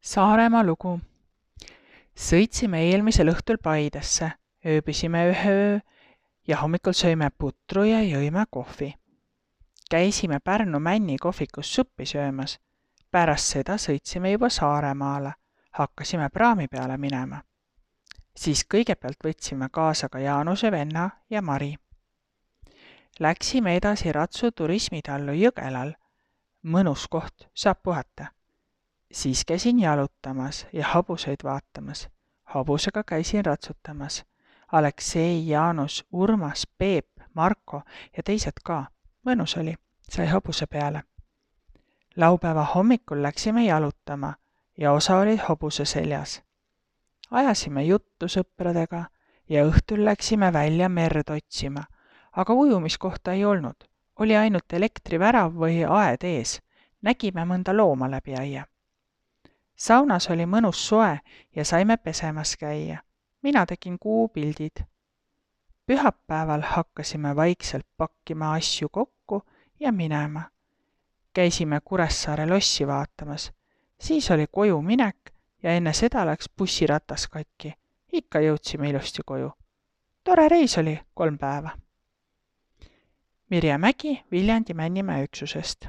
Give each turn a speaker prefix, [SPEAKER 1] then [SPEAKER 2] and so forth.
[SPEAKER 1] Saaremaa lugu. Sõitsime eelmisel õhtul Paidesse, ööbisime ühe öö ja hommikul söime putru ja jõime kohvi. Käisime Pärnu Männi kohvikus suppi söömas. Pärast seda sõitsime juba Saaremaale, hakkasime praami peale minema. Siis kõigepealt võtsime kaasa ka Jaanuse venna ja Mari. Läksime edasi Ratsu turismitallu Jõgelal. Mõnus koht, saab puhata. Siis käisin jalutamas ja hobuseid vaatamas. Hobusega käisin ratsutamas. Aleksei, Jaanus, Urmas, Peep, Marko ja teised ka. Mõnus oli, sai hobuse peale. Laupäeva hommikul läksime jalutama ja osa oli hobuse seljas. Ajasime juttu sõpradega ja õhtul läksime välja merd otsima, aga ujumiskohta ei olnud. Oli ainult elektrivärav või aed ees. Nägime mõnda looma läbi aia. Saunas oli mõnus soe ja saime pesemas käia. Mina tegin kuupildid. Pühapäeval hakkasime vaikselt pakkima asju kokku ja minema. Käisime Kuressaare lossi vaatamas. Siis oli koju minek ja enne seda läks bussiratas katki. Ikka jõudsime ilusti koju. Tore reis oli 3 päeva. Mirje Mägi Viljandi Männimäe üksusest.